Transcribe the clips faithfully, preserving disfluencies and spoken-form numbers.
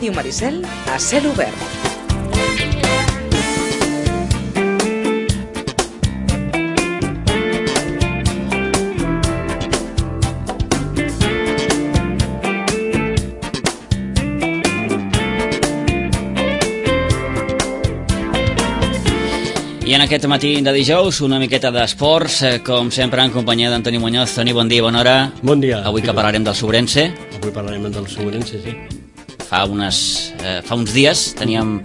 Ràdio Maricel a cel obert. I en aquest matí de dijous, una miqueta d'esports, com sempre en companyia d'Antoni Muñoz. Toni, bon dia, bona hora. Bon dia. Avui que parlarem del Sobrense. Avui parlarem del Sobrense, sí. Fa, unes, eh, fa uns dies teníem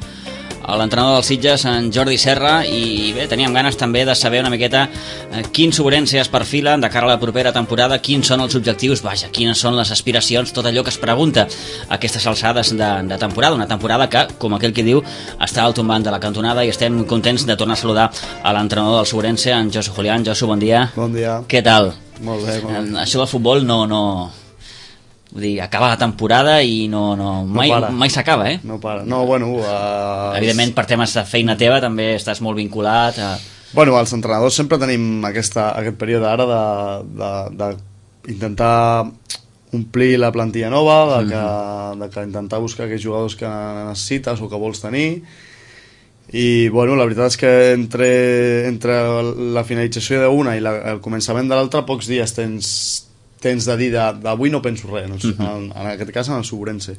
l'entrenador del Sitges, en Jordi Serra, i bé, teníem ganes també de saber una miqueta eh, quin Sobrense es perfila de cara a la propera temporada, quins són els objectius, vaja, quines són les aspiracions, tot allò que es pregunta a aquestes alçades de, de temporada, una temporada que, com aquell que diu, està al tombant de la cantonada, i estem contents de tornar a saludar a l'entrenador del Sobrense, en Josu Julián. Josu, bon dia. Bon dia. Què tal? Molt bé, molt bé. Eh, això del futbol no... no... Vull dir, acaba la temporada i no, no, mai, no mai s'acaba, eh? No para. No, bueno... Uh, Evidentment, per temes de feina teva també estàs molt vinculat a... Bueno, els entrenadors sempre tenim aquesta, aquest període ara de, de, de intentar omplir la plantilla nova, de que, mm-hmm. de que intentar buscar aquells jugadors que necessites o que vols tenir. I, bueno, la veritat és que entre, entre la finalització d'una i la, el començament de l'altra, pocs dies tens... tens de dir d'avui no penso res, no? Uh-huh. en, en aquest cas en el Sobrense.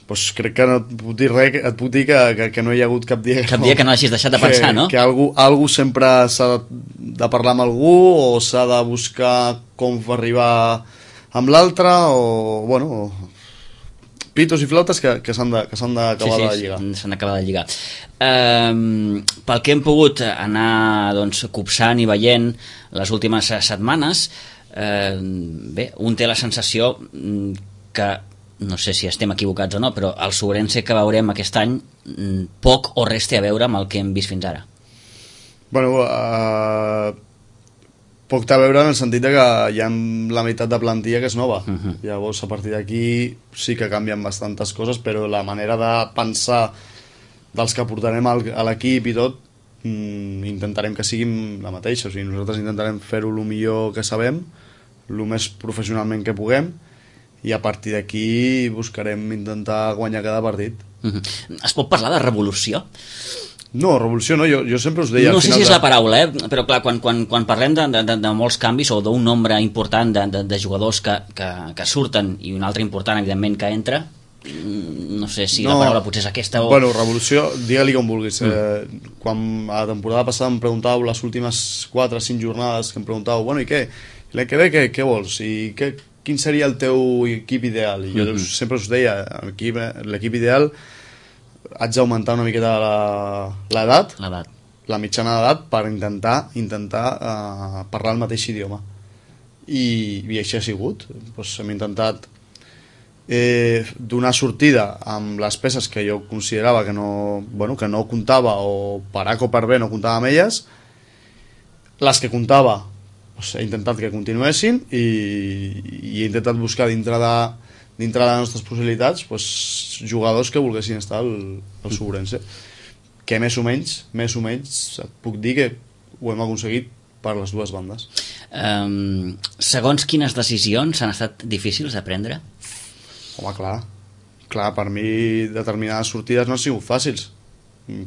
Pues crec que no et puc dir res, et puc dir que, que, que no hi ha hagut cap dia que, cap dia que no hagis deixat de pensar, que, no? Que algú, algú sempre s'ha de parlar amb algú o s'ha de buscar com arribar amb l'altre o, bueno, pitos i flautes que, que s'han d'acabar sí, sí, de lligar. S'han d'acabar de lligar. Um, pel que hem pogut anar doncs, copsant i veient les últimes setmanes, Eh, bé, un té la sensació que, no sé si estem equivocats o no, però el Sobrense que veurem aquest any poc o res té a veure amb el que hem vist fins ara. Bueno, uh, poc té a veure en el sentit de que hi ha la meitat de plantilla que és nova. Uh-huh. Llavors, a partir d'aquí sí que canvien bastantes coses, però la manera de pensar dels que portarem a l'equip i tot, mm, intentarem que siguin la mateixa. O sigui, nosaltres intentarem fer-ho el millor que sabem, el més professionalment que puguem, i a partir d'aquí buscarem intentar guanyar cada partit. Uh-huh. Es pot parlar de revolució? No, revolució no, jo, jo sempre us deia... No al sé final si és de... la paraula, eh? Però clar, quan, quan, quan parlem de, de, de molts canvis o d'un nombre important de, de, de jugadors que, que, que surten i un altre important, evidentment, que entra, no sé si no, la paraula potser és aquesta o... Bueno, revolució, digue-li com vulguis. Mm. Eh, quan a la temporada passada em preguntàveu les últimes quatre o cinc jornades que em preguntàveu, bueno, i què? L'any que ve què, què vols? I què, quin seria el teu equip ideal? I jo mm-hmm. sempre us deia, l'equip ideal haig d'augmentar una miqueta l'edat, la mitjana d'edat, per intentar intentar uh, parlar el mateix idioma. I, i així ha sigut. Pues hem intentat eh, donar sortida amb les peces que jo considerava que no, bueno, que no comptava, o per A o per B no comptava amb elles. Les que comptava, pues, he intentat que continuessin, i, i he intentat buscar dintre de, dintre de les nostres possibilitats, pues, jugadors que volguessin estar al, al Sobrense, que més o menys més o menys et puc dir que ho hem aconseguit per les dues bandes. Um, segons quines decisions han estat difícils de prendre? Home, clar, clar, per mi determinades sortides no han sigut fàcils,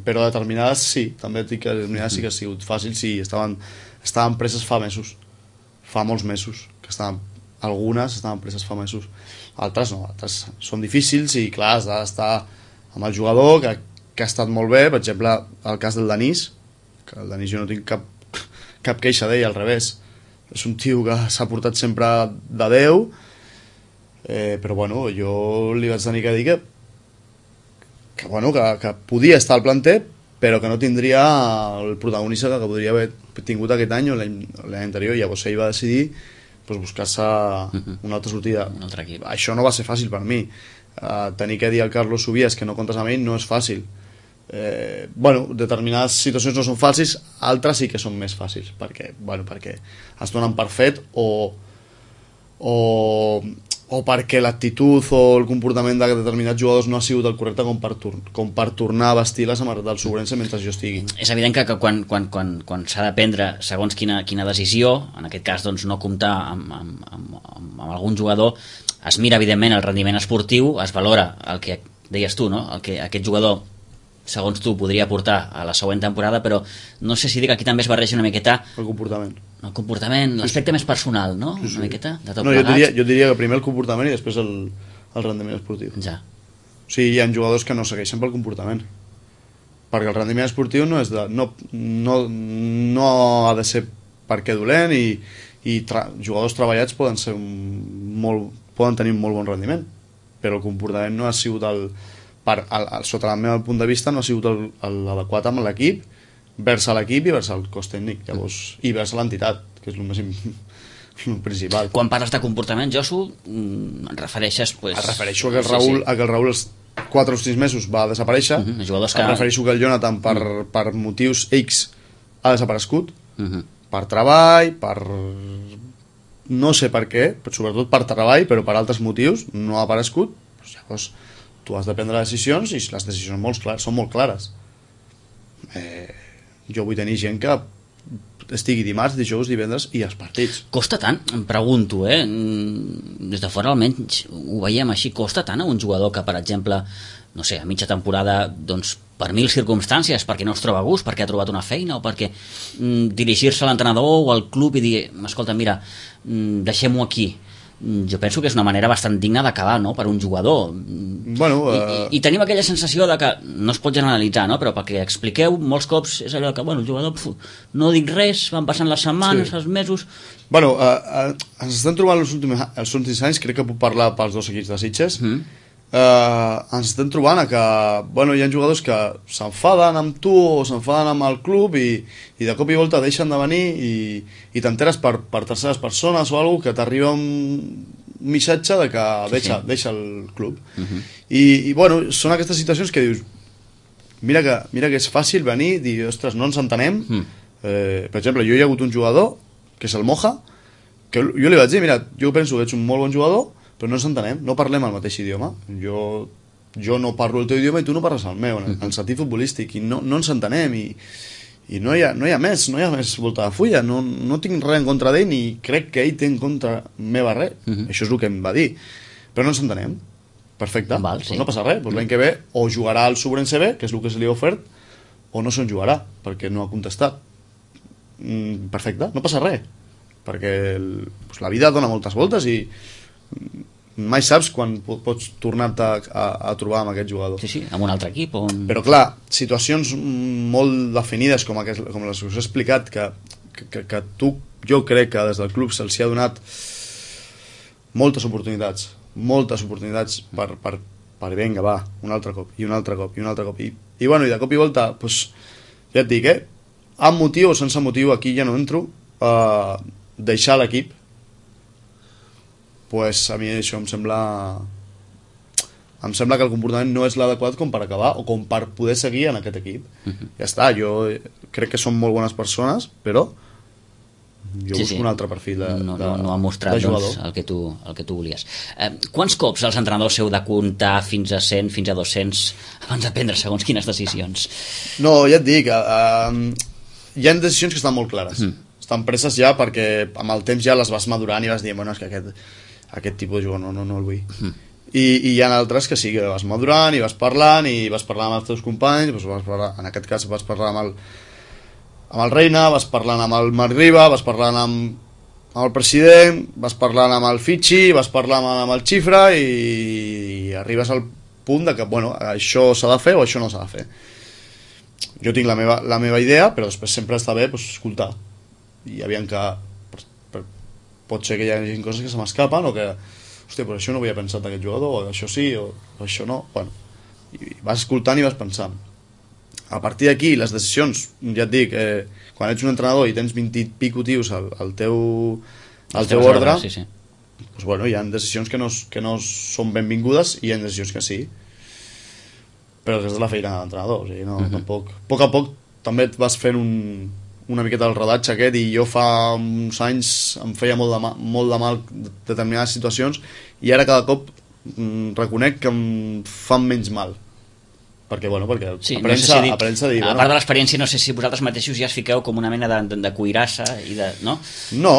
però determinades sí, també et dic que determinades sí que han sigut fàcils, sí, estaven, estaven preses fa mesos, fa molts mesos, que estaven, algunes estaven preses fa mesos, altres no, altres són difícils, i clar, has d'estar amb el jugador que, que ha estat molt bé. Per exemple, el cas del Denis, que el Denis jo no tinc cap, cap queixa d'ell, al revés, és un tio que s'ha portat sempre de Déu, eh, però bueno, jo li vaig tenir que dir que que, bueno, que, que podia estar al planter, però que no tindria el protagonista que podria haver tingut aquest any o l'any anterior. Llavors ell va decidir, pues, buscar-se una altra sortida. Un altre equip. Això no va ser fàcil per mi. Uh, tenir que dir al Carlos Subies que no comptes amb ell no és fàcil. Eh, bueno, determinades situacions no són fàcils, altres sí que són més fàcils, perquè, bueno, perquè es donen per fet, o o o perquè l'actitud o el comportament de determinats jugadors no ha sigut el correcte com per, com per tornar a vestir la samarreta del Sobrense mentre jo estigui. És evident que, que quan, quan, quan, quan s'ha de prendre segons quina, quina decisió, en aquest cas doncs, no comptar amb, amb, amb, amb, amb algun jugador, es mira evidentment el rendiment esportiu, es valora el que deies tu, no? El que aquest jugador, segons tu, podria portar a la següent temporada, però no sé si dic que aquí també es barreja una miqueta El comportament. el comportament, l'aspecte més personal, no? Sí, sí. Una miqueta, de tot no, jo plegat. diria, jo diria que primer el comportament i després el, el rendiment esportiu. Ja. O sigui, hi ha jugadors que no segueixen pel comportament. Perquè el rendiment esportiu no és de, no, no, no ha de ser perquè dolent i, i tra jugadors treballats poden ser un, molt, poden tenir un molt bon rendiment, però el comportament no ha sigut el, per, el, el sota el meu punt de vista no ha sigut l'adequat amb l'equip, vers l'equip i vers el cos tècnic, llavors, i vers l'entitat, que és el més el principal. Quan parles de comportament, Josu, et refereixes... Pues, et refereixo a que el Raül, sí, sí. A que el Raül els quatre o sis mesos va desaparèixer, uh -huh, jugadors que... em refereixo que el Jonathan per, uh -huh. per motius X ha desaparegut, uh -huh. per treball, per... no sé per què, però sobretot per treball, però per altres motius no ha aparegut, doncs llavors tu has de prendre decisions i les decisions molt clar, són molt clares. Eh, jo vull tenir gent que estigui dimarts, dijous, divendres i els partits. Costa tant, em pregunto, eh? Des de fora almenys ho veiem així, costa tant a un jugador que, per exemple, no sé, a mitja temporada, doncs, per mil circumstàncies, perquè no es troba a gust, perquè ha trobat una feina, o perquè mm, dirigir-se a l'entrenador o al club i dir, escolta, mira, mm, deixem-ho aquí. Jo penso que és una manera bastant digna d'acabar, no?, per un jugador. Bueno, uh... I, i, I tenim aquella sensació de que, no es pot generalitzar, no?, però perquè expliqueu, molts cops és allò que, bueno, el jugador, pf, no dic res, van passant les setmanes, sí. els mesos... Bueno, uh, uh, ens estem trobant els últims, els últims anys, crec que puc parlar pels dos equips de Sitges, mm. uh, ens estem trobant a que, bueno, hi ha jugadors que s'enfaden amb tu o s'enfaden amb el club i, i de cop i volta deixen de venir i, i t'enteres per, per terceres persones o alguna que t'arriba un missatge de que deixa, sí. deixa el club. Uh -huh. I, I, bueno, són aquestes situacions que dius, mira que, mira que és fàcil venir i dir, ostres, no ens entenem. Uh -huh. eh, per exemple, jo hi ha hagut un jugador, que és el Moja, que jo li vaig dir, mira, jo penso que ets un molt bon jugador, però no ens entenem, no parlem el mateix idioma. Jo, jo no parlo el teu idioma i tu no parles el meu, en el sentit futbolístic, i no, no ens entenem, i, i no, hi ha, no hi ha més, no hi ha més volta de fulla, no, no tinc res en contra d'ell, ni crec que ell té en contra meva res, uh -huh. Això és el que em va dir, però no ens entenem, perfecte, Val, sí. Pues no passa res, pues l'any que ve o jugarà al Subrense B, que és el que se li ha ofert, o no se'n jugarà, perquè no ha contestat. Mm, perfecte, no passa res, perquè el, pues la vida dona moltes voltes i mai saps quan pots tornar-te a, a, a trobar amb aquest jugador. Sí, sí, amb un altre equip. On... Però clar, situacions molt definides com, aquest, com les que us he explicat, que, que, que tu, jo crec que des del club se'ls ha donat moltes oportunitats, moltes oportunitats per, per, per vinga, va, un altre cop, i un altre cop, i un altre cop. I, i bueno, i de cop i volta, pues, ja et dic, eh? Amb motiu o sense motiu, aquí ja no entro, eh, deixar l'equip, pues a mi això em sembla em sembla que el comportament no és l'adequat com per acabar o com per poder seguir en aquest equip. Uh-huh. Ja està, jo crec que són molt bones persones, però jo sí, busco sí. un altre perfil de, no, de, no, no ha mostrat doncs, el, que tu, el que tu volies. Eh, quants cops els entrenadors heu de comptar fins a cent, fins a dos-cents abans de prendre segons quines decisions? No, ja et dic, eh, hi ha decisions que estan molt clares. Mm. Estan preses ja perquè amb el temps ja les vas madurant i vas dir, bueno, és que aquest, aquest tipus de jugador no, no, no el vull. Mm. I, i hi ha altres que sí, que vas madurant i vas parlant i vas parlant amb els teus companys, doncs vas parlar, en aquest cas vas parlar amb el, amb el Reina, vas parlant amb el Marc Riba, vas parlant amb, amb el president, vas parlant amb el Fitxi, vas parlant amb, amb el Xifra i, i arribes al punt de que, bueno, això s'ha de fer o això no s'ha de fer. Jo tinc la meva, la meva idea, però després sempre està bé pues, escoltar. I aviam que per, per, pot ser que hi hagi coses que se m'escapen o que, hòstia, però això no ho havia pensat d'aquest jugador, o això sí, o, o això no. Bueno, i vas escoltant i vas pensant. A partir d'aquí, les decisions, ja et dic, eh, quan ets un entrenador i tens vint i pico tios al, al teu, al teu ordre, sí, sí. Pues, bueno, hi ha decisions que no, que no són benvingudes i hi ha decisions que sí. Però és de la feina de l'entrenador, o sigui, no, uh-huh. tampoc. A poc a poc també et vas fent un, una miqueta del rodatge aquest i jo fa uns anys em feia molt de mal, molt de mal determinades situacions i ara cada cop mm, reconec que em fan menys mal. Perquè, bueno, perquè sí, aprens, no sé si dit, aprens a dir... A bueno, part de l'experiència, no sé si vosaltres mateixos ja es fiqueu com una mena de, de, de cuirassa i de, no? No.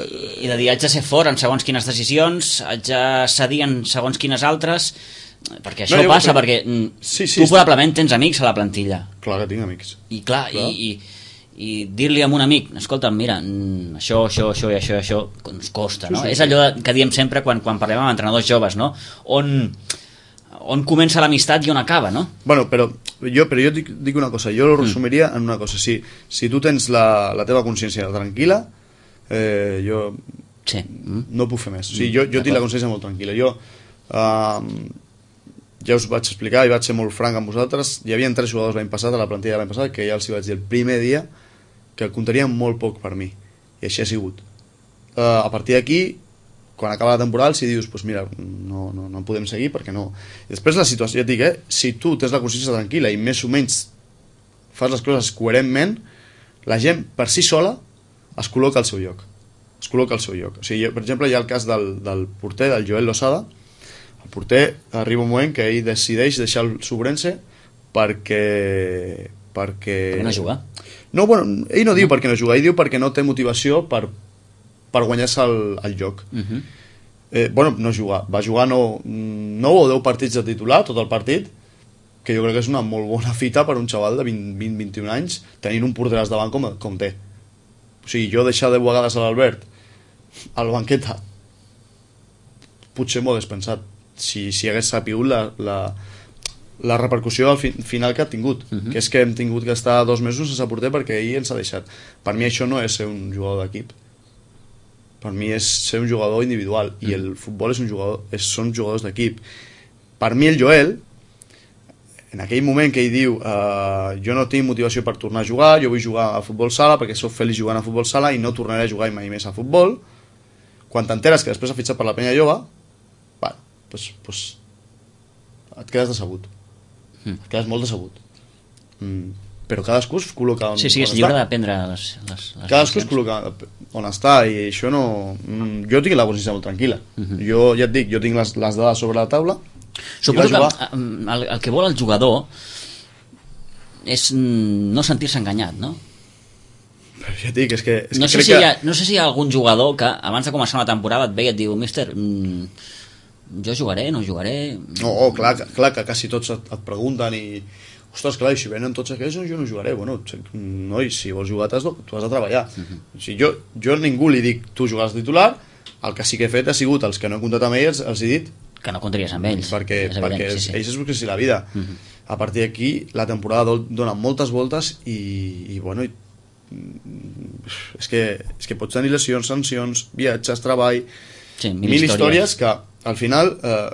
I, I de dir, haig de ser fort en segons quines decisions, haig de cedir en segons quines altres... perquè això no, jo, passa però... perquè sí, sí, tu probablement tens amics a la plantilla. Clar que tinc amics. I clar, clar. i, i, i dir-li a un amic, escolta, mira, això, això, això i això, això, ens costa, no? Sí, sí, és allò que diem sempre quan, quan parlem amb entrenadors joves, no? On, on comença l'amistat i on acaba, no? Bueno, però jo, però jo dic, dic una cosa, jo ho resumiria mm. en una cosa. Si, si tu tens la, la teva consciència tranquil·la, eh, jo sí. mm. no puc fer més. O sigui, jo, jo tinc la consciència molt tranquil·la. Jo, eh, ja us vaig explicar i vaig ser molt franc amb vosaltres, hi havia tres jugadors l'any passat, a la plantilla de l'any passat, que ja els hi vaig dir el primer dia que comptarien molt poc per mi, i així ha sigut. Uh, a partir d'aquí, quan acaba la temporada, si dius, pues mira, no, no, no podem seguir perquè no. I després la situació, ja et dic, eh, si tu tens la consciència tranquil·la i més o menys fas les coses coherentment, la gent per si sola es col·loca al seu lloc. Es col·loca al seu lloc. O sigui, per exemple, hi ha el cas del, del porter, del Joel Losada. El porter arriba un moment que ell decideix deixar el Subrense perquè... perquè... Per no jugar? No, bueno, ell no diu no. per què no juga, ell diu perquè no té motivació per, per guanyar-se el, el lloc. Uh -huh. eh, bueno, no jugar, va jugar nou no o deu partits de titular, tot el partit, que jo crec que és una molt bona fita per un xaval de vint vint vint i un anys, tenint un porter davant com, com té. O sigui, jo deixar deu vegades a l'Albert al banqueta, potser m'ho hagués pensat, si, si hagués sapigut la... la la repercussió al fi, final que ha tingut, uh -huh. que és que hem tingut que estar dos mesos sense porter perquè ell ens ha deixat. Per mi això no és ser un jugador d'equip, per mi és ser un jugador individual, uh -huh. i el futbol és un jugador, és, són jugadors d'equip. Per mi el Joel, en aquell moment que ell diu uh, jo no tinc motivació per tornar a jugar, jo vull jugar a futbol sala perquè sóc feliç jugant a futbol sala i no tornaré a jugar mai més a futbol, quan t'enteres que després ha fitxat per la Penya Jove, bueno, pues, pues, et quedes decebut. Mm. Et quedes molt decebut. Mm. Però cadascú es col·loca on, sí, sí, és lliure d'aprendre les, les, les cadascú es col·loca on està, i això no... Jo tinc la consciència molt tranquil·la. Uh -huh. Jo ja et dic, jo tinc les, les dades sobre la taula. Suposo que el, el que vol el jugador és no sentir-se enganyat, no? Però ja et dic, és que... És no, que sé crec si que... hi ha, no sé si hi ha algun jugador que abans de començar una temporada et ve i et diu, míster, mmm, jo jugaré, no jugaré... No, oh, clar, clar que quasi tots et, et pregunten i... Ostres, clar, i si venen tots aquests, jo no jugaré. Bueno, noi, si vols jugar, has, tu has de treballar. Uh -huh. O sigui, jo, jo a ningú li dic, tu jugaràs titular, el que sí que he fet ha sigut, els que no he comptat amb ells, els he dit... Que no comptaries amb ells. Perquè, és perquè evident, sí, sí. ells es busquessin la vida. Uh -huh. A partir d'aquí, la temporada dona moltes voltes i, i bueno... I, és, que, és que pots tenir lesions, sancions, viatges, treball... Sí, mil, mil històries. històries que al final eh,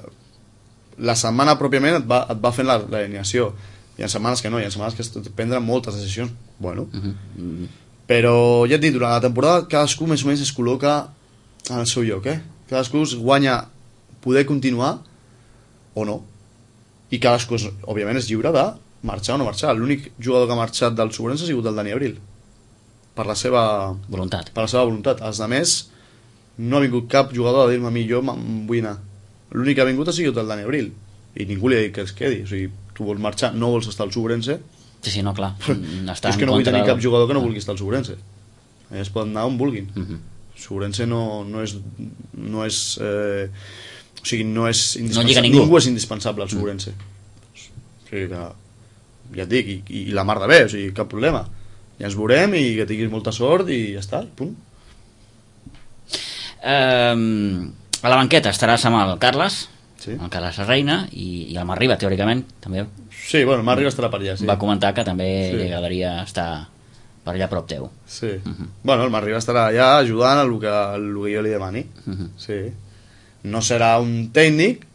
la setmana pròpiament et va, et va fent l'alineació. Hi ha setmanes que no, hi ha setmanes que has de prendre moltes decisions. Bueno, uh -huh. Uh -huh. Però ja et dic, durant la temporada cadascú més o menys es col·loca en el seu lloc, eh? Cadascú es guanya poder continuar o no. I cadascú, és, òbviament, és lliure de marxar o no marxar. L'únic jugador que ha marxat del Sobrense ha sigut el Dani Abril. Per la seva voluntat. Per la seva voluntat. Els altres, no ha vingut cap jugador a dir-me a mi, jo vull anar. L'únic que ha vingut ha sigut el Dani Abril. I ningú li ha dit que es quedi. O sigui, tu vols marxar, no vols estar al Sobrense. Sí, sí, no, clar. Està és que no vull tenir cap jugador que no vulgui estar al Sobrense. Ells poden anar on vulguin. Uh -huh. Sobrense no, no és... No és eh, o sigui, no és indispensable. No ningú. ningú és indispensable al Sobrense. Uh-huh. O sigui que... Ja et dic, i, i la mar de bé, o sigui, cap problema. Ja ens veurem i que tinguis molta sort i ja està, punt. Um, a la banqueta estaràs amb el Carles, sí. el Carles Reina, i, i el Marriba, teòricament, també. Sí, bueno, el Marriba estarà per allà, sí. Va comentar que també sí. li agradaria estar per allà a prop teu. Sí. Uh -huh. Bueno, el Marriba estarà allà ajudant a el que, a el que jo li demani. Uh -huh. Sí. No serà un tècnic,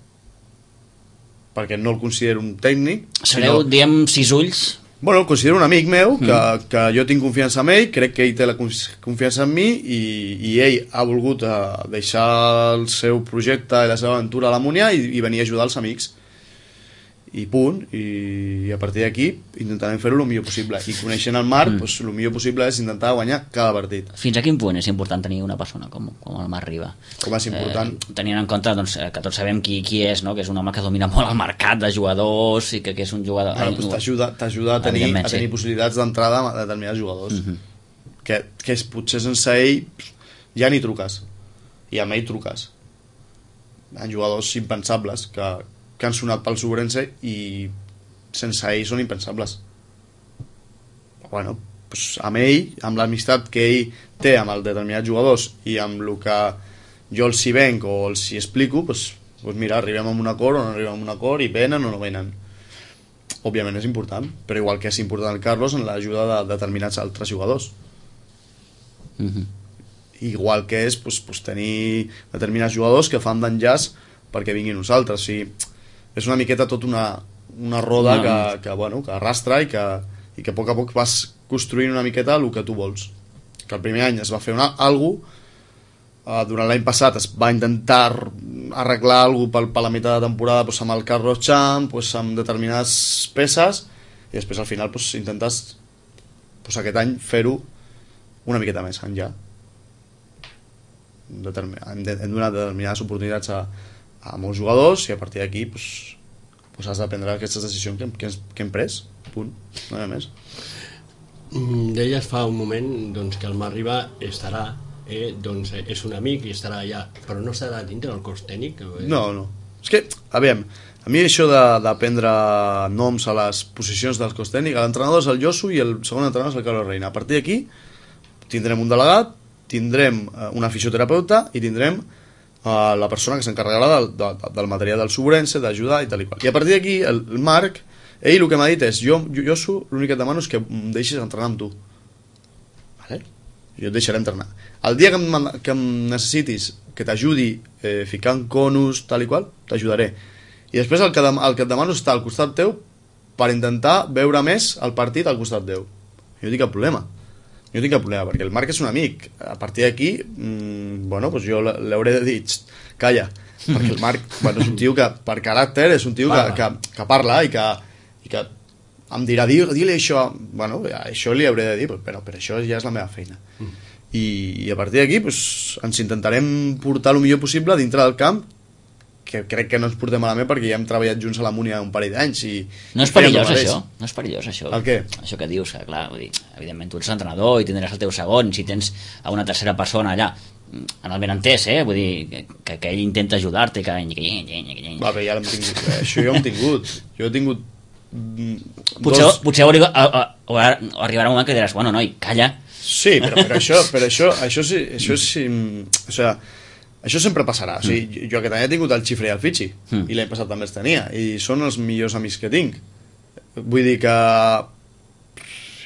perquè no el considero un tècnic. Sereu, sinó... diem, sis ulls... Bueno, el considero un amic meu, que, mm. que jo tinc confiança en ell, crec que ell té la confiança en mi, i, i ell ha volgut uh, deixar el seu projecte i la seva aventura a la Múnia i, i venir a ajudar els amics. I punt, i, i a partir d'aquí intentarem fer-ho el millor possible. I coneixent el Marc, mm. doncs, el millor possible és intentar guanyar cada partit. Fins a quin punt és important tenir una persona com, com el Marc Riba? Com és important? Eh, tenint en compte doncs, que tots sabem qui, qui és, no? Que és un home que domina molt el mercat de jugadors i que, que és un jugador... Bueno, doncs t'ajuda t'ajuda a tenir, a tenir sí. possibilitats d'entrada a determinats jugadors. Mm -hmm. que, que és, potser sense ell ja ni truques. I amb ell truques. Hi ha jugadors impensables que que han sonat pel Sobrense i sense ell són impensables. Bueno, pues amb ell, amb l'amistat que ell té amb els determinats jugadors i amb el que jo els hi venc o els hi explico, pues, pues mira, arribem a un acord o no arribem a un acord i venen o no venen. Òbviament és important, però igual que és important el Carlos en l'ajuda de determinats altres jugadors. Mm-hmm. Igual que és pues, pues, tenir determinats jugadors que fan d'enllaç perquè vinguin uns altres. O sigui, és una miqueta tot una, una roda no. que, que, bueno, que arrastra i que, i que a poc a poc vas construint una miqueta el que tu vols. Que el primer any es va fer una, algo, uh, durant l'any passat es va intentar arreglar alguna cosa per, per la meitat de temporada pues, amb el Carlos Champ, pues, amb determinades peces, i després al final pues, intentes pues, aquest any fer-ho una miqueta més enllà. Determin... hem donat determinades oportunitats a, a molts jugadors i a partir d'aquí pues, pues has de prendre aquestes decisions que, que, que hem pres, punt, no hi ha més. Mm, deies fa un moment doncs, que el Marriba estarà eh, doncs, és un amic i estarà allà, però no estarà dintre del cos tècnic? Eh? No, no, és que, aviam, a mi això de, de prendre noms a les posicions del cos tècnic, l'entrenador és el Josu i el segon entrenador és el Carlos Reina. A partir d'aquí tindrem un delegat, tindrem una fisioterapeuta i tindrem uh, la persona que s'encarregarà del, del, del material del Sobrense, d'ajudar i tal i qual. I a partir d'aquí, el, el Marc, ell el que m'ha dit és, jo, jo, jo l'únic que et demano és que em deixis entrenar amb tu. Vale? Jo et deixaré entrenar. El dia que em, que em necessitis que t'ajudi eh, ficant conus, tal i qual, t'ajudaré. I després el que, el que et demano és estar al costat teu per intentar veure més el partit al costat teu. Jo no tinc cap problema. Jo tinc cap problema, perquè el Marc és un amic. A partir d'aquí, mmm, bueno, pues jo l'hauré de dir, calla, perquè el Marc bueno, és un tio que, per caràcter, és un tio que, que, que parla i que, i que em dirà, di-li això, bueno, això li hauré de dir, però, però això ja és la meva feina. Mm. I, i a partir d'aquí, pues, ens intentarem portar el millor possible dintre del camp, que crec que no ens portem malament perquè ja hem treballat junts a la Múnia un parell d'anys i... No és perillós això? No és perillós això? El què? Això que dius, que clar, vull dir, evidentment tu ets l'entrenador i tindràs el teu segon, si tens a una tercera persona allà, en el benentès, eh? Vull dir, que, que ell intenta ajudar-te, que... Va, però ja l'hem tingut, eh? Això jo ho hem tingut. Jo he tingut... Potser, dos... potser arriba, a, a, a, arribarà un moment que diràs, bueno, noi, calla. Sí, però, però això, però això, això sí, això sí, o sigui, això sempre passarà. O sigui, mm. jo aquest any he tingut el Xifre i el Fitxi mm. i l'any passat també els tenia i són els millors amics que tinc. Vull dir que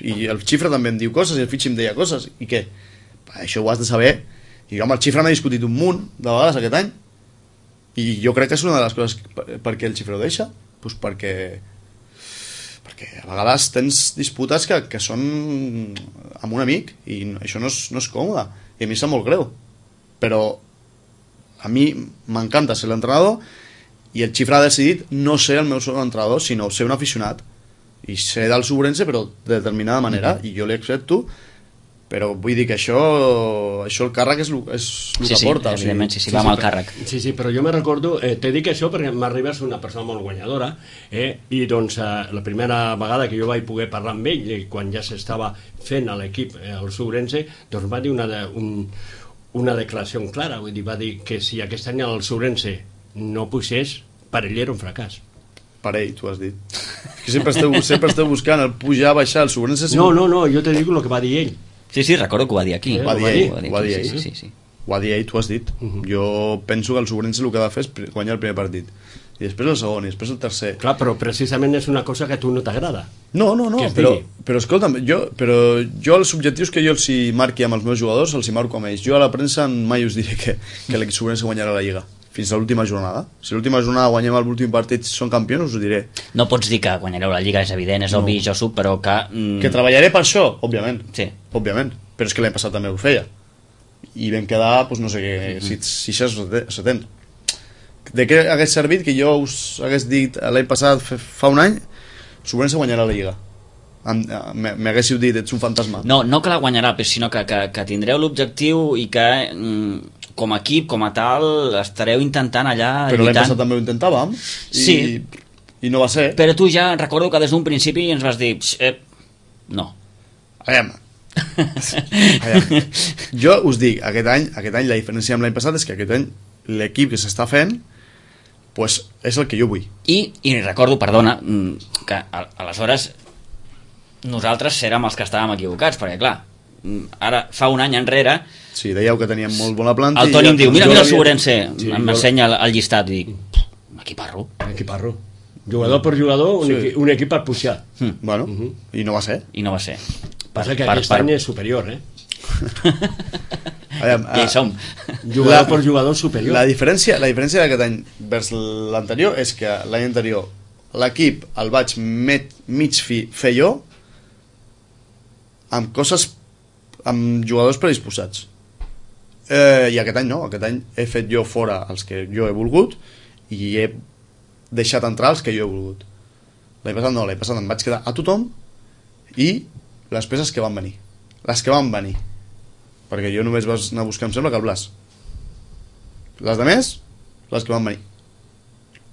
i el Xifre també em diu coses i el Fitxi em deia coses i què? Això ho has de saber. I jo amb el Xifre m'he discutit un munt de vegades aquest any i jo crec que és una de les coses per, per què el Xifre ho deixa, pues perquè perquè a vegades tens disputes que, que són amb un amic i això no és, no és còmode i a mi sap molt greu, però a mi m'encanta ser l'entrenador i el Xifre ha decidit no ser el meu segon entrenador, sinó ser un aficionat i ser del Sobrense però de determinada manera, mm-hmm. i jo li accepto, però vull dir que això això el càrrec és el, és el sí, que sí, porta. Evidentment, sí, sí, sí, va sí, amb el però, càrrec. Sí, sí, però jo me recordo, eh, t'he dit això perquè m'arriba a ser una persona molt guanyadora, eh, i doncs eh, la primera vegada que jo vaig poder parlar amb ell, eh, quan ja s'estava fent a l'equip, eh, el Sobrense, doncs va dir una, de, un, una declaració clara, vull dir, va dir que si aquest any el Sobrense no pugés, per ell era un fracàs. Per ell, tu has dit. Que sempre esteu, sempre esteu buscant el pujar, baixar, el Sobrense... No, no, no, jo te dic el que va dir ell. Sí, sí, recordo que ho va dir aquí. Eh, ho va dir ell, ho va dir ell, sí, sí, sí. Ho va dir ell, tu has dit. Uh-huh. Jo penso que el Sobrense el que ha de fer és guanyar el primer partit. I després el segon, i després el tercer. Clar, però precisament és una cosa que a tu no t'agrada. No, no, no, però, però escolta'm, jo, però jo els objectius que jo els hi marqui amb els meus jugadors els hi marco amb ells. Jo a la premsa mai us diré que, que l'equip Sobrense guanyarà la Lliga fins a l'última jornada. Si l'última jornada guanyem l'últim partit són campions, us ho diré. No pots dir que guanyareu la Lliga, és evident, és no. obvi, Josu, però que... Mm... Que treballaré per això, òbviament. Sí. Òbviament. Però és que l'any passat també ho feia. I vam quedar, doncs no sé què, mm-hmm. si seixanta o setanta. De què hagués servit que jo us hagués dit l'any passat, fa un any, Sobrense guanyarà la Lliga? M'haguéssiu dit, ets un fantasma. No, no que la guanyarà, sinó que, que, que tindreu l'objectiu i que mm, com a equip, com a tal, estareu intentant allà però lluitant. L'any passat també ho intentàvem i, sí. i no va ser. Però tu ja recordo que des d'un principi ens vas dir eh, no. Aviam. Aviam. Jo us dic, aquest any, aquest any la diferència amb l'any passat és que aquest any l'equip que s'està fent pues és el que jo vull. I, i recordo, perdona, que a, aleshores nosaltres érem els que estàvem equivocats, perquè clar, ara fa un any enrere sí, dèieu que teníem molt bona planta el Toni em diu, mira, mira el Sobrense, sí, m'ensenya el, el llistat i dic, equiparro equiparro jugador per jugador, un, sí. equi, un equip per pujar mm. bueno, uh -huh. i no va ser i no va ser passa que per, aquest per... any és superior eh? Aviam, ja hi som jugador la, per jugador superior la diferència, la diferència d'aquest any vers l'anterior és que l'any anterior l'equip el vaig met, mig fi, fer jo amb coses amb jugadors predisposats eh, i aquest any no, aquest any he fet jo fora els que jo he volgut i he deixat entrar els que jo he volgut. L'any passat no, l'any passat em vaig quedar a tothom i les peces que van venir les que van venir perquè jo només vas anar a buscar, em sembla que el Blas les de més les que van venir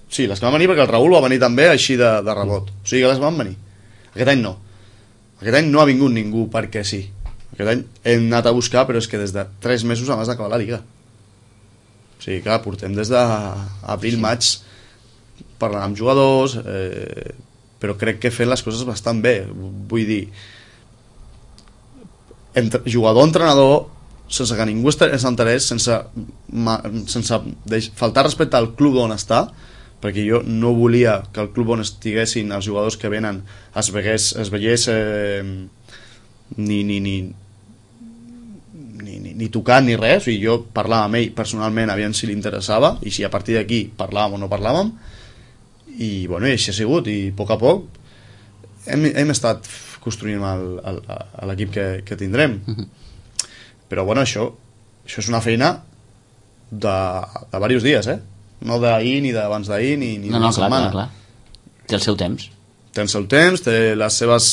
sí, les que van venir perquè el Raül va venir també així de, de rebot, o sigui que les van venir aquest any no aquest any no ha vingut ningú perquè sí. Aquest any hem anat a buscar, però és que des de tres mesos abans d'acabar la Lliga. O sigui, clar, portem des d'abril, maig parlant amb jugadors, eh, però crec que fent les coses bastant bé. Vull dir, entre, jugador-entrenador, sense que ningú s'enterés, sense, sense faltar respecte al club on està, perquè jo no volia que el club on estiguessin els jugadors que venen es veiés, es veiés eh, ni, ni, ni, ni, ni, ni tocant ni res. O sigui, jo parlava amb ell personalment, aviam si li interessava i si a partir d'aquí parlàvem o no parlàvem i, bueno, i així ha sigut i a poc a poc hem, hem estat construint l'equip que, que tindrem uh-huh. Però bueno, això, això és una feina de, de diversos dies, eh? No d'ahir, ni d'abans d'ahir, ni, ni no, d'una no, clar, setmana. clar, clar. Té el seu temps. Té el seu temps, té les seves,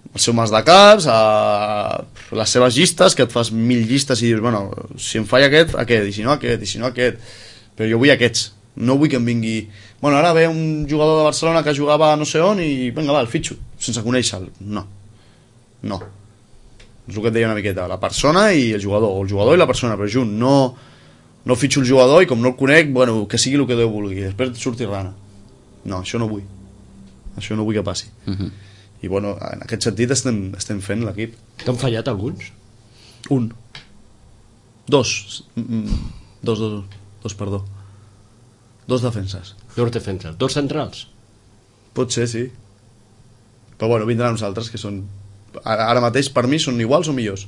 el seu mas de caps, a, les seves llistes, que et fas mil llistes i dius, bueno, si em falla aquest, aquest, i si no aquest, i si no aquest. Però jo vull aquests. No vull que em vingui... Bueno, ara ve un jugador de Barcelona que jugava no sé on i, vinga, va, el fitxo, sense conèixer-lo. No. No. És el que et deia una miqueta. La persona i el jugador, o el jugador i la persona, però junt, no... No fitxo el jugador i com no el conec, bueno, que sigui el que Déu vulgui, després surti rana. No, això no vull. Això no vull que passi. Uh-huh. I bueno, en aquest sentit estem, estem fent l'equip. T'han fallat alguns? Un. Dos. Dos, dos, dos, perdó. Dos defenses. Dos defenses. Dos centrals? Pot ser, sí. Però bueno, vindran uns altres que són... Ara mateix, per mi, són iguals o millors.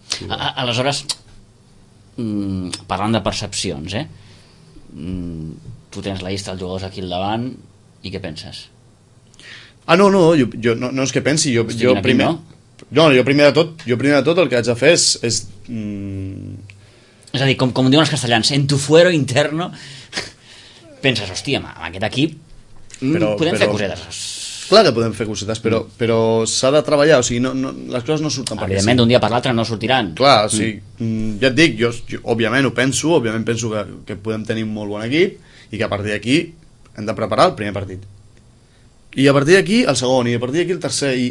Sí, a, aleshores... Mm, parlant de percepcions, eh? Mm, tu tens la llista dels jugadors aquí al davant i què penses? Ah, no, no, jo, jo no, no és que pensi, jo, jo aquí, primer... No? No, jo primer de tot, jo primer de tot el que haig de fer és... és, mm... és a dir, com, com diuen els castellans, en tu fuero interno, penses, hòstia, amb aquest equip però, podem però... fer cosetes. Clar que podem fer cosetes, però, mm. però s'ha de treballar, o sigui, no, no, les coses no surten per evidentment, d'un dia per l'altre no sortiran. Clar, o sigui, mm. ja et dic, jo, jo òbviament ho penso, òbviament penso que, que podem tenir un molt bon equip i que a partir d'aquí hem de preparar el primer partit. I a partir d'aquí el segon, i a partir d'aquí el tercer, i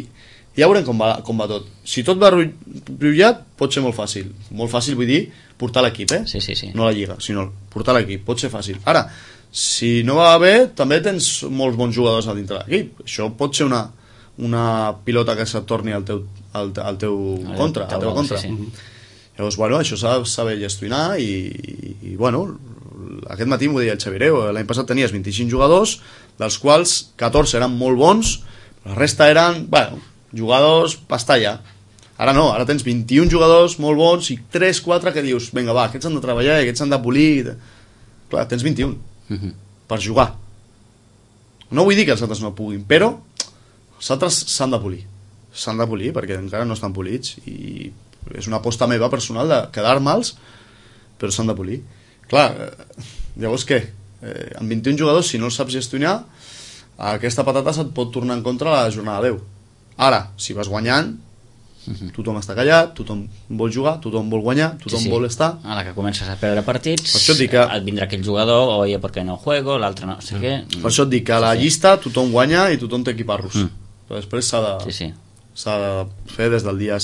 ja veurem com va, com va tot. Si tot va brullat, pot ser molt fàcil. Molt fàcil, vull dir, portar l'equip, eh? Sí, sí, sí. No la lliga, sinó portar l'equip, pot ser fàcil. Ara, si no va bé, també tens molts bons jugadors a dintre l'equip. Això pot ser una, una pilota que se't torni al teu, al, al teu el contra, al teu contra. Sí, sí. Llavors, bueno, això s'ha de saber gestionar i, i, i bueno, aquest matí m'ho deia el Xavireu, l'any passat tenies vint-i-cinc jugadors, dels quals catorze eren molt bons, la resta eren, bueno, jugadors pastalla. Ara no, ara tens vint-i-un jugadors molt bons i tres quatre que dius, vinga va, aquests han de treballar i aquests han de polir. Clar, tens vint-i-un. Uh-huh. Per jugar. No vull dir que els altres no puguin, però els altres s'han de polir. S'han de polir perquè encara no estan polits i és una aposta meva personal de quedar-me'ls, però s'han de polir. Clar, llavors què? Eh, amb vint-i-un jugadors, si no els saps gestionar, aquesta patata se't pot tornar en contra la jornada deu. Ara, si vas guanyant, uh-huh. tothom està callat, tothom vol jugar, tothom vol guanyar, tothom sí, sí. vol estar. A la que comences a perdre partits, per això et, que... et vindrà aquell jugador, oye, ¿por qué no juego? L'altre no sé què. Per això et dic que a la sí, llista tothom guanya i tothom té equiparros. Mm. Però després s'ha de, sí, sí. s'ha de fer des del dia,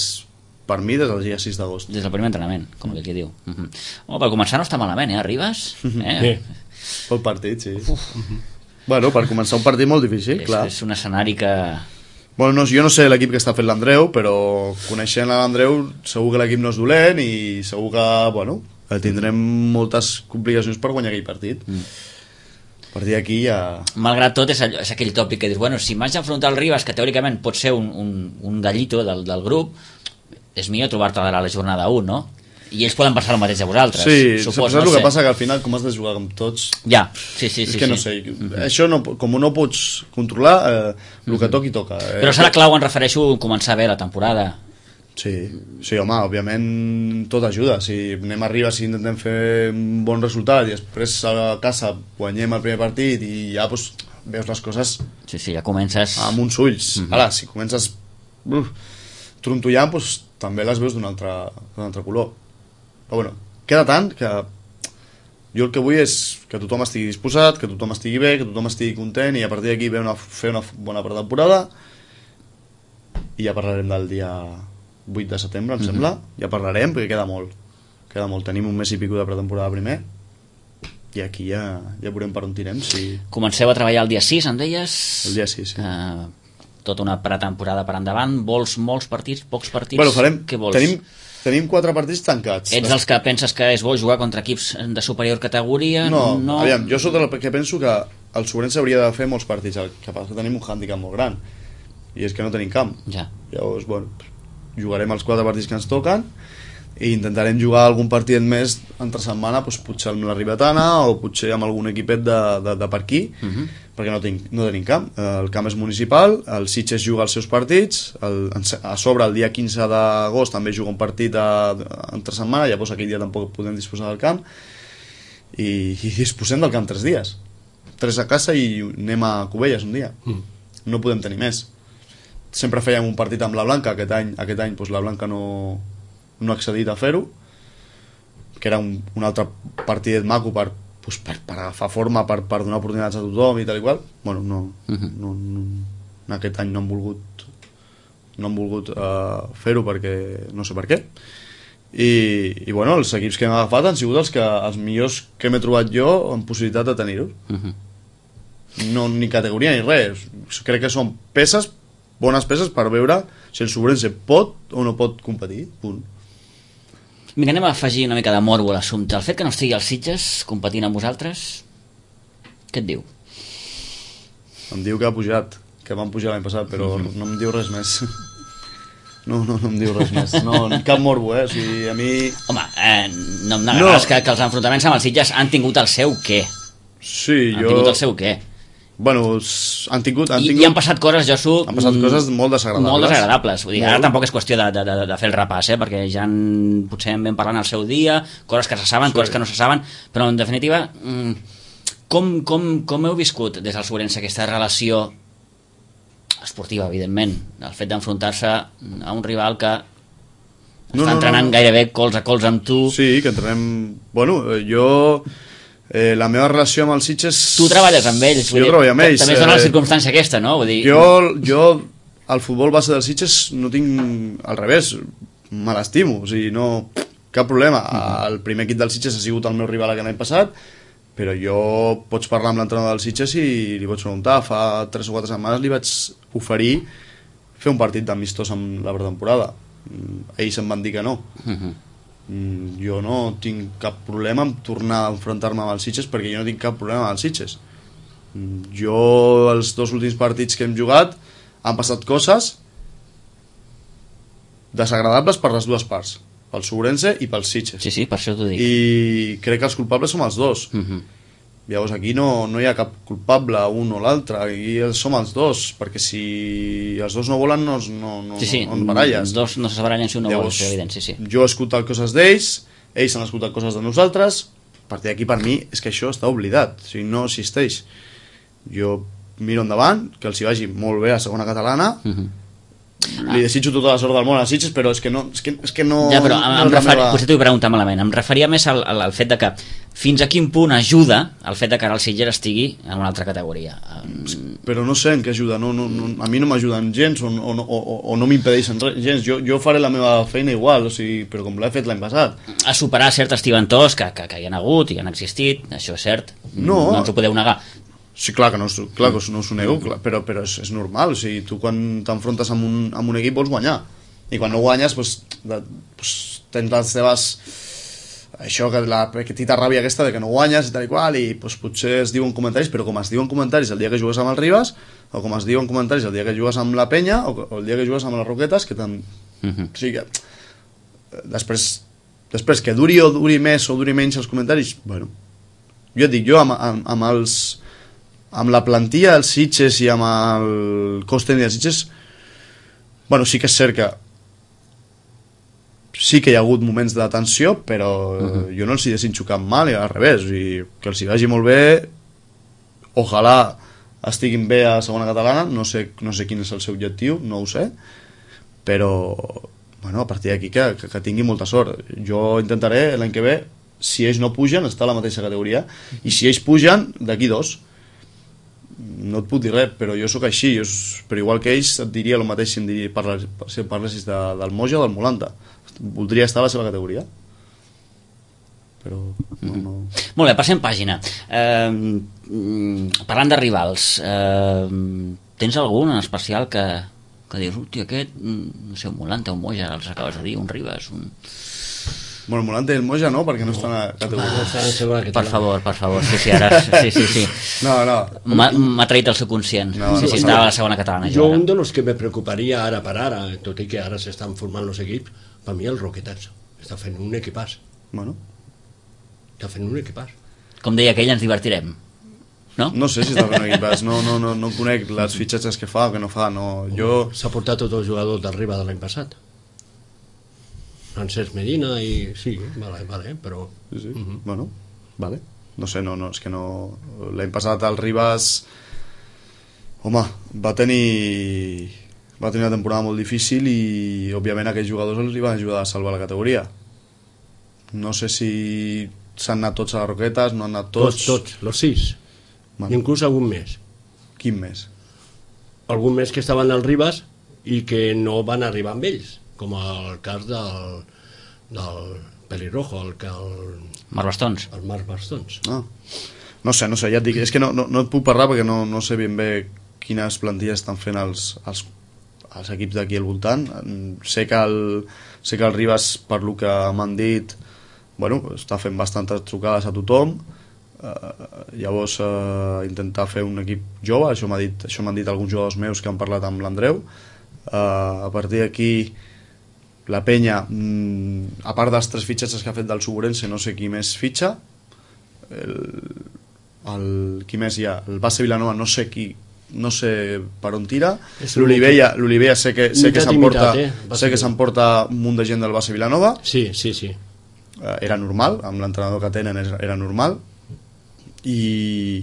per mi, des del dia sis d'agost. Des del primer entrenament, com mm. que aquí diu. Mm-hmm. Oh, per començar no està malament, eh? Arribes? Eh? Sí. Pel partit, sí. Bueno, per començar un partit molt difícil, és, clar. És un escenari que... Bueno, no, jo no sé l'equip que està fent l'Andreu, però coneixent l'Andreu segur que l'equip no és dolent i segur que, bueno, tindrem moltes complicacions per guanyar aquell partit. Mm. A partir d'aquí ja... Malgrat tot, és, allò, és aquell tòpic que dius, bueno, si m'haig d'enfrontar al Ribas, que teòricament pot ser un, un, un gallito del, del grup, és millor trobar-te a la jornada u, no? I ells poden passar el mateix a vosaltres. Sí, supos, saps no el que sé. passa? Que al final, com has de jugar amb tots... Ja, sí, sí, és sí. que sí. no sé, Mm-hmm. això no, com no pots controlar, eh, el que toqui toca. Eh? Però serà clau, em refereixo, començar bé la temporada. Sí, sí, home, òbviament tot ajuda. Si anem a Ribas i intentem fer un bon resultat i després a casa guanyem el primer partit i ja pues, veus les coses Sí, sí, ja comences... amb uns ulls. Mm-hmm. Ara, si comences uf, trontollant, pues, també les veus d'un altre, d'un altre color. Però bueno, queda tant que jo el que vull és que tothom estigui disposat, que tothom estigui bé, que tothom estigui content i a partir d'aquí una, fer una bona pretemporada i ja parlarem del dia vuit de setembre, em sembla. Mm-hmm. Ja parlarem perquè queda molt. Queda molt. Tenim un mes i pico de pretemporada primer i aquí ja, ja veurem per on tirem. Si... Comenceu a treballar el dia sis, em deies? El dia sis, sí. Uh, tota una pretemporada per endavant. Vols molts partits, pocs partits? Bueno, farem... Què vols? Tenim, tenim quatre partits tancats. Ets dels que penses que és bo jugar contra equips de superior categoria? No, no... aviam, jo sóc del que penso que el Sobrense hauria de fer molts partits, el que passa que tenim un hàndicap molt gran i és que no tenim camp. Ja. Llavors, bueno, jugarem els quatre partits que ens toquen i intentarem jugar algun partit més entre setmana, doncs, potser amb la Ribetana o potser amb algun equipet de, de, de per aquí, uh -huh. perquè no, tinc, no tenim camp. El camp és municipal, el Sitges juga els seus partits, el, a sobre el dia quinze d'agost també juga un partit a, a, entre setmana, llavors aquell dia tampoc podem disposar del camp i, i disposem del camp tres dies, tres a casa i anem a Cubelles un dia. Mm. No podem tenir més. Sempre fèiem un partit amb la Blanca, aquest any, aquest any doncs la Blanca no, no ha accedit a fer-ho, que era un, un altre partidet maco per, doncs per, per agafar forma, per, per donar oportunitats a tothom i tal i qual. Bueno, no, uh-huh. no, no, en aquest any no han volgut no han volgut uh, fer-ho perquè no sé per què. I, i bueno, els equips que hem agafat han sigut els, que, els millors que m'he trobat jo en possibilitat de tenir-ho. Uh-huh. No, ni categoria ni res. Crec que són peces, bones peces per veure si el Sobrense pot o no pot competir. Punt. Mira, anem a afegir una mica de morbo a l'assumpte. El fet que no estigui als Sitges competint amb vosaltres, què et diu? Em diu que ha pujat, que van pujar l'any passat, però mm-hmm. no em diu res més. No, no, no em diu res més. No, cap morbo, eh? O sigui, a mi... Home, eh, no em negaràs no. que, que els enfrontaments amb els Sitges han tingut el seu què. Sí, han jo... Han tingut el seu què. Bueno, han tingut... Han I, tingut... I han passat coses, Josu... Han passat coses molt desagradables. Molt desagradables. Vull dir, molt. Ara tampoc és qüestió de, de, de, de fer el repàs, eh? Perquè ja en, potser en vam parlant al seu dia, coses que se saben, sí. coses que no se saben, però en definitiva, com, com, com heu viscut des del Sobrense aquesta relació esportiva, evidentment, el fet d'enfrontar-se a un rival que no, està entrenant no, no. gairebé cols a cols amb tu? Sí, que entrenem... Bueno, jo... Eh, la meva relació amb els Sitges... Tu treballes amb ells, jo treballo amb ells. També es dona la circumstància aquesta, no? Vull dir... Jo, jo al futbol base dels Sitges no tinc... Al revés, me l'estimo, o sigui, no... Cap problema. El primer equip dels Sitges ha sigut el meu rival aquest any passat, però jo pots parlar amb l'entrenador dels Sitges i li pots preguntar. Fa tres o quatre setmanes li vaig oferir fer un partit d'amistós amb la pretemporada. Ells em van dir que no. Uh-huh. Jo no tinc cap problema en tornar a enfrontar-me amb els Sitges perquè jo no tinc cap problema amb els Sitges. Jo els dos últims partits que hem jugat han passat coses desagradables per les dues parts, pel Sobrense i pels Sitges. Sí, sí, per això t'ho dic. I crec que els culpables som els dos. Uh-huh. Llavors aquí no, no hi ha cap culpable, un o l'altre, aquí som els dos, perquè si els dos no volen no, no, no, sí, sí, no baralles. Els dos no se barallen si un no vol, és evident, sí, sí. Jo he escoltat coses d'ells, ells han escoltat coses de nosaltres, a partir d'aquí per mi és que això està oblidat, o sigui, no existeix. Jo miro endavant, que els hi vagi molt bé a segona catalana, uh-huh. li desitjo tota la sort del món a Sitges, però és que no, és que, és que no, ja, però em, no em és la referi, meva... potser t'ho he preguntat malament, em referia més al, al, al fet de que fins a quin punt ajuda el fet de que ara el Sitges estigui en una altra categoria. Però no sé en què ajuda, no, no, no, a mi no m'ajuden gens o, o, o, o no m'impedeixen gens, jo, jo faré la meva feina igual, o sigui, però com l'he fet l'any passat. A superar certs tibantors que, que, que hi ha hagut i han existit, això és cert, no, no ens ho podeu negar. Sí, clar que no, clar que no us ho nego, clar, però, però és, és normal, o sigui, tu quan t'enfrontes amb, un, amb un equip vols guanyar, i quan no guanyes pues, de, pues, tens les teves això, que la petita ràbia aquesta de que no guanyes i tal i qual, i pues, potser es diuen comentaris, però com es diuen comentaris el dia que jugues amb el Ribas, o com es diuen comentaris el dia que jugues amb la Penya, o, o el dia que jugues amb les Roquetes, que tam... uh-huh. O sigui que després, després que duri o duri més o duri menys els comentaris, bueno, jo et dic, jo amb, amb, amb els amb la plantilla dels Sitges i amb el cos tècnic dels Sitges, bueno, sí que és cert que sí que hi ha hagut moments de tensió, però uh-huh. jo no els hi desitjo cap mal, i al revés, i que els hi vagi molt bé, ojalà estiguin bé a segona catalana, no sé, no sé quin és el seu objectiu, no ho sé, però bueno, a partir d'aquí que, que, que tingui molta sort. Jo intentaré l'any que ve, si ells no pugen, estar a la mateixa categoria, i si ells pugen, d'aquí dos. No et puc dir res, però jo sóc així, jo, però igual que ells et diria el mateix si em diria, parles, si parlessis de, del Moja o del Molanta. Voldria estar a la seva categoria, però no, no... Molt bé, passem pàgina. Eh, parlant de rivals, eh, tens algun en especial que, que dius, hòstia, aquest, no sé, un Molanta, un Moja, els acabes de dir, un Ribas, un... Bueno, el Molanta i el Moja no, perquè no estan a categoria. Ah, per favor, per favor, sí, sí, ara, sí, sí, sí. No, no. M'ha traït el subconscient, no, sí, no, sí, estava a la segona catalana. Jo, un de los que me preocuparia ara per ara, tot i que ara s'estan formant els equips, per mi el Roquetats està fent un equipàs. Bueno. Està fent un equipàs. Com deia aquell, ens divertirem. No? No sé si està fent un equipàs, no, no, no, no conec les fitxatges que fa o que no fa, no. Jo... S'ha portat tots els jugadors d'arriba de l'any passat. Francesc Medina i... Sí, vale, vale, però... Sí, sí. Uh-huh. Bueno, vale. No sé, no, no, és que no... L'any passat el Ribas... Home, va tenir... Va tenir una temporada molt difícil i, òbviament, aquests jugadors els van ajudar a salvar la categoria. No sé si s'han anat tots a les Roquetes, no han anat tots... Tots, tots, los sis. Bueno. Inclús algun més. Quin més? Algun més que estaven al Ribas i que no van arribar amb ells, com el cas del, del Pelirrojo, el, el Marc Bastons. El Marc Bastons. Ah. No sé, no sé, ja et dic, és que no, no, no et puc parlar perquè no, no sé ben bé quines plantilles estan fent els, els, els equips d'aquí al voltant. Sé que el, sé que el Ribas, per lo que m'han dit, bueno, està fent bastantes trucades a tothom. Uh, llavors uh, intentar fer un equip jove, això m'ha dit, això m'han dit alguns jugadors meus que han parlat amb l'Andreu. Uh, a partir d'aquí la Penya, mm, a part dels tres fitxatges que ha fet del Suburense, no sé qui més fitxa. El, el, qui més hi ha? El Base Vilanova, no sé qui, no sé per on tira. L'Olivella, l'Olivella sé que, sé que s'emporta eh? sé que s'emporta un munt de gent del Base Vilanova. Sí, sí, sí. Uh, era normal, amb l'entrenador que tenen era normal. I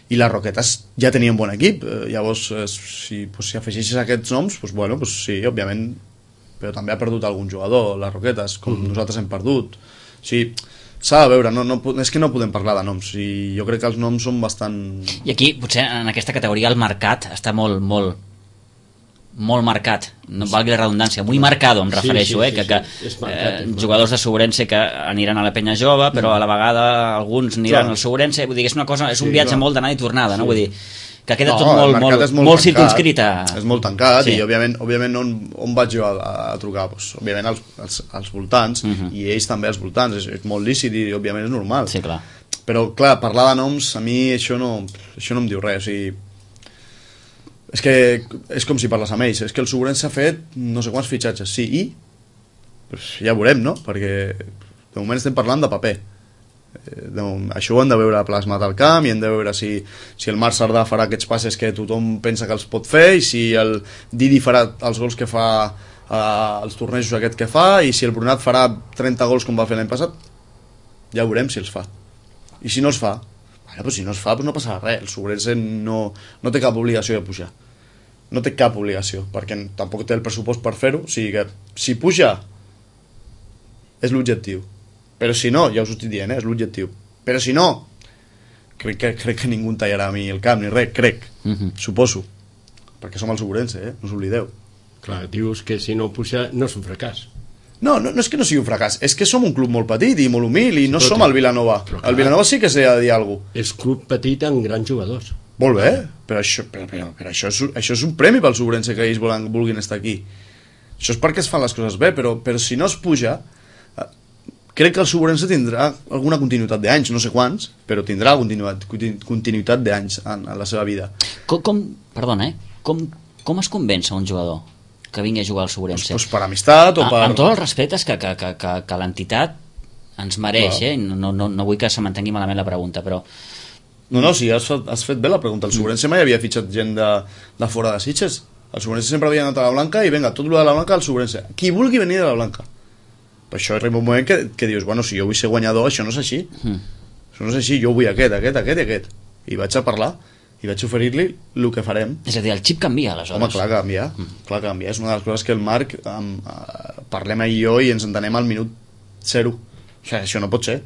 i les Roquetes ja tenien bon equip, eh, llavors eh, si, pues, si afegeixes aquests noms, pues, bueno, pues, sí, òbviament, però també ha perdut algun jugador, les Roquetes, com mm-hmm. nosaltres hem perdut. O sigui, s'ha de veure, no, no, és que no podem parlar de noms, i jo crec que els noms són bastant... I aquí, potser en aquesta categoria el mercat està molt, molt, molt marcat, no valgui la redundància, muy marcado em refereixo, sí, sí, eh, que, que sí, sí. Marcat, eh, jugadors de Suburense que aniran a la Penya Jove, però a la vegada alguns aniran clar. Al Suburense, vull dir, és una cosa, és un sí, viatge clar. Molt d'anada i tornada, sí. No? Vull dir, que queda no, tot molt, molt, molt, molt circunscrit a... És molt tancat sí. I òbviament, òbviament on, on vaig jo a, a trucar? Pues, òbviament als, als, als voltants uh-huh. I ells també als voltants, és, és molt lícit i òbviament és normal. Sí, clar. Però clar, parlar de noms a mi això no, això no em diu res, o sigui, és que és com si parles amb ells, és que el Suburense ha fet no sé quants fitxatges, sí, i pues ja veurem, no? Perquè de moment estem parlant de paper, de, això ho hem de veure plasmat al camp i hem de veure si, si el Marc Sardà farà aquests passes que tothom pensa que els pot fer i si el Didi farà els gols que fa eh, els tornejos aquest que fa i si el Brunat farà trenta gols com va fer l'any passat, ja veurem si els fa, i si no els fa bueno, pues si no es fa, pues no passarà res. El Suburense no, no té cap obligació de pujar. no té cap obligació, perquè tampoc té el pressupost per fer-ho, o sigui que si puja és l'objectiu, però si no, ja us ho estic dient, eh, és l'objectiu, però si no, crec que, crec que ningú tallarà a mi el camp ni res, crec, uh-huh. suposo, perquè som el Segurense, eh, no us oblideu. Clar, dius que si no puja no és un fracàs. No, no, no és que no sigui un fracàs, és que som un club molt petit i molt humil i no però som el Vilanova. Clar, el Vilanova sí que s'ha de dir alguna cosa. És club petit amb grans jugadors. Molt bé, però, això, però, però, però això, és, això és un premi pel Segurense que ells volen, vulguin estar aquí. Això és perquè es fan les coses bé, però, però si no es puja, crec que el Segurense tindrà alguna continuïtat d'anys, no sé quants, però tindrà continuïtat, continuïtat d'anys en, en la seva vida. Com, com, perdona, eh? Com, com es convenç un jugador que vingui a jugar al Segurense? Pues, pues per amistat o per... Amb tots els respectes que, que, que, que, que l'entitat ens mereix, eh? No, no, no vull que se m'entengui malament la pregunta, però... No, no, sí, has, has fet bé la pregunta. El Segurense mai havia fitxat gent de, de fora de Sitges. El Segurense sempre havia anat a la Blanca i vinga, tot el de la Blanca al Segurense. Qui vulgui venir de la Blanca. Per això arriba un moment que, que dius, bueno, si jo vull ser guanyador, això no és així. Mm. Això no és així, jo vull aquest, aquest, aquest i aquest. I vaig a parlar i vaig oferir-li el que farem. És a dir, el xip canvia, aleshores. Home, clar que canvia, mm. clar que canvia. És una de les coses que el Marc um, uh, parlem ell i jo i ens entenem al minut zero. O sigui, això no pot ser.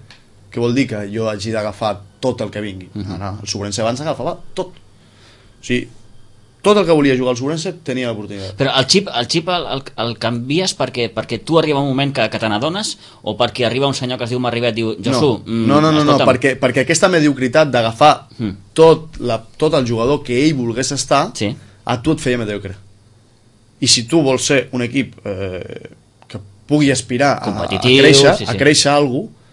Què vol dir que jo hagi d'agafar tot el que vingui? Mm -hmm. No, no, el Segurense abans agafava tot. O sigui, tot el que volia jugar al Segurense tenia l'oportunitat. Però el xip el, xip el, el, el canvies perquè, perquè tu arriba un moment que, que te n'adones o perquè arriba un senyor que es diu Marribet i diu, Josu, no, no, no, no, no, no perquè, perquè aquesta mediocritat d'agafar mm. tot, la, tot el jugador que ell volgués estar, sí. a tu et feia mediocre. I si tu vols ser un equip eh, que pugui aspirar a, a créixer, sí, sí. a créixer alguna cosa,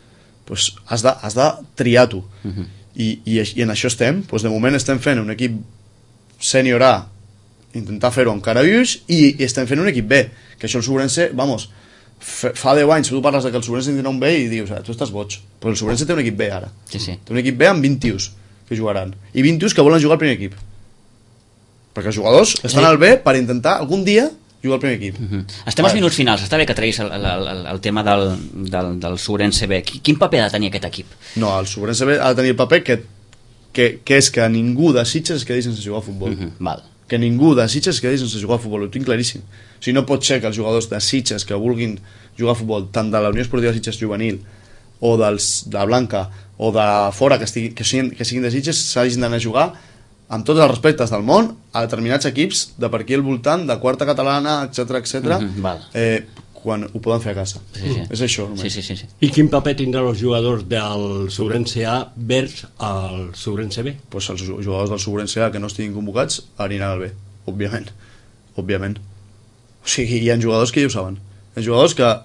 pues has, de, has de triar tu. Uh -huh. I, i, I en això estem, pues de moment estem fent un equip sènior A, intentar fer-ho amb cara vius, i, i estem fent un equip B, que això el Segurense, vamos, fa deu anys que tu parles de que el Segurense tindrà un B i dius, ah, tu estàs boig, però el Segurense té un equip B ara, sí, sí. té un equip B amb vint tios que jugaran, i vint tios que volen jugar al primer equip, perquè els jugadors estan sí. al B per intentar algun dia jugar al primer equip. Uh -huh. Estem als minuts finals, està bé que treguis el, el, el, el tema del, del, del Segurense B. Quin paper ha de tenir aquest equip? No, el Segurense B ha de tenir el paper que, que, que és que ningú de Sitges es quedi sense jugar a futbol. Uh -huh. Val. Que ningú de Sitges es quedi sense jugar a futbol, ho tinc claríssim. O sigui, no pot ser que els jugadors de Sitges que vulguin jugar a futbol, tant de la Unió Esportiva Sitges Juvenil o dels, de Blanca o de fora que, estigui, que, siguin, que siguin de Sitges, s'hagin d'anar a jugar amb tots els respectes del món a determinats equips de per aquí al voltant, de quarta catalana, etcètera, etcètera, uh -huh, eh, quan ho poden fer a casa. Sí, sí. És això, només. Sí, sí, sí, sí. I quin paper tindran els jugadors del Segurense A vers al Segurense B? Pues els jugadors del Segurense A que no estiguin convocats aniran al B, òbviament. Òbviament. O sigui, hi ha jugadors que ja ho saben. Hi ha jugadors que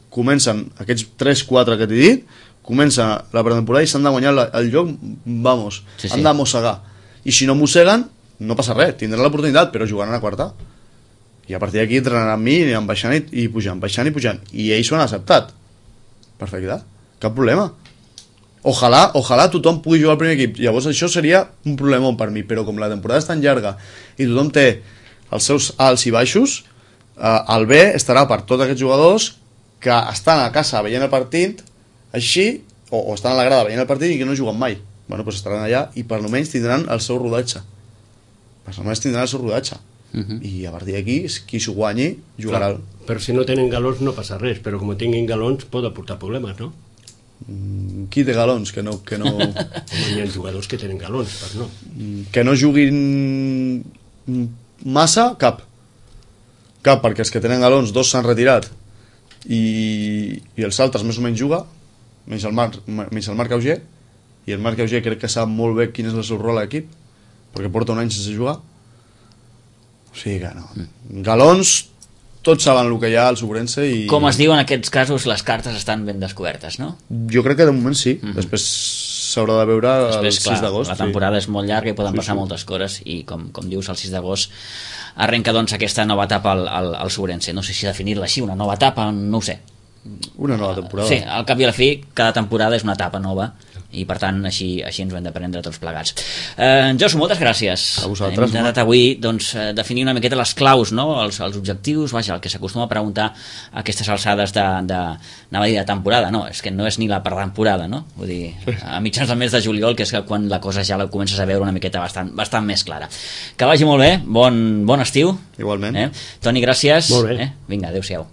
comencen, aquests tres quatre que t'he dit, comencen la pretemporada i s'han de guanyar el lloc, vamos, sí, sí. han de mossegar. I si no mosseguen, no passa res, tindran l'oportunitat, però jugaran a quarta. I a partir d'aquí entrenaran amb mi, aniran baixant i, i pujant, baixant i pujant. I ells ho han acceptat. Perfecte, cap problema. Ojalà, ojalà tothom pugui jugar al primer equip. Llavors això seria un problemó per mi, però com la temporada és tan llarga i tothom té els seus alts i baixos, eh, el B estarà per tots aquests jugadors que estan a casa veient el partit així, o, o estan a la grada veient el partit i que no juguen mai. Bueno, pues estaran allà i per almenys tindran el seu rodatge. Per almenys tindran el seu rodatge. Uh -huh. I a partir d'aquí, qui s'ho guanyi, jugarà. Clar, però si no tenen galons no passa res, però com tinguin galons pot aportar problemes, no? Mm, qui té galons? Que no... Que no... Home, hi ha jugadors que tenen galons, però no. Que no juguin massa, cap. Cap, perquè els que tenen galons, dos s'han retirat i, i els altres més o menys juga, menys el Marc, menys el Marc Auger, i el Marc Auger crec que sap molt bé quin és el seu rol a l'equip, perquè porta un any sense jugar. O sigui que no. Galons, tots saben el que hi ha al Segurense i... Com es diu en aquests casos, les cartes estan ben descobertes, no? Jo crec que de moment sí. Mm-hmm. Després s'haurà de veure Després, el sis d'agost. La temporada sí. és molt llarga i poden sí, passar sí. moltes coses i com, com dius, el sis d'agost arrenca doncs aquesta nova etapa al, al, al Segurense. No sé si definir-la així, una nova etapa, no ho sé. Una nova temporada. Sí, al cap i a la fi, cada temporada és una etapa nova i per tant així, així ens ho hem de prendre tots plegats. Eh, Josu, moltes gràcies. A vosaltres. Hem intentat avui doncs, definir una miqueta les claus, no? els, els objectius, vaja, el que s'acostuma a preguntar a aquestes alçades de, de, anava a dir de temporada, no, és que no és ni la pretemporada, no? Vull dir, a mitjans del mes de juliol, que és quan la cosa ja la comences a veure una miqueta bastant, bastant més clara. Que vagi molt bé, bon, bon estiu. Igualment. Eh? Toni, gràcies. Molt bé. Eh? Vinga, adéu-siau.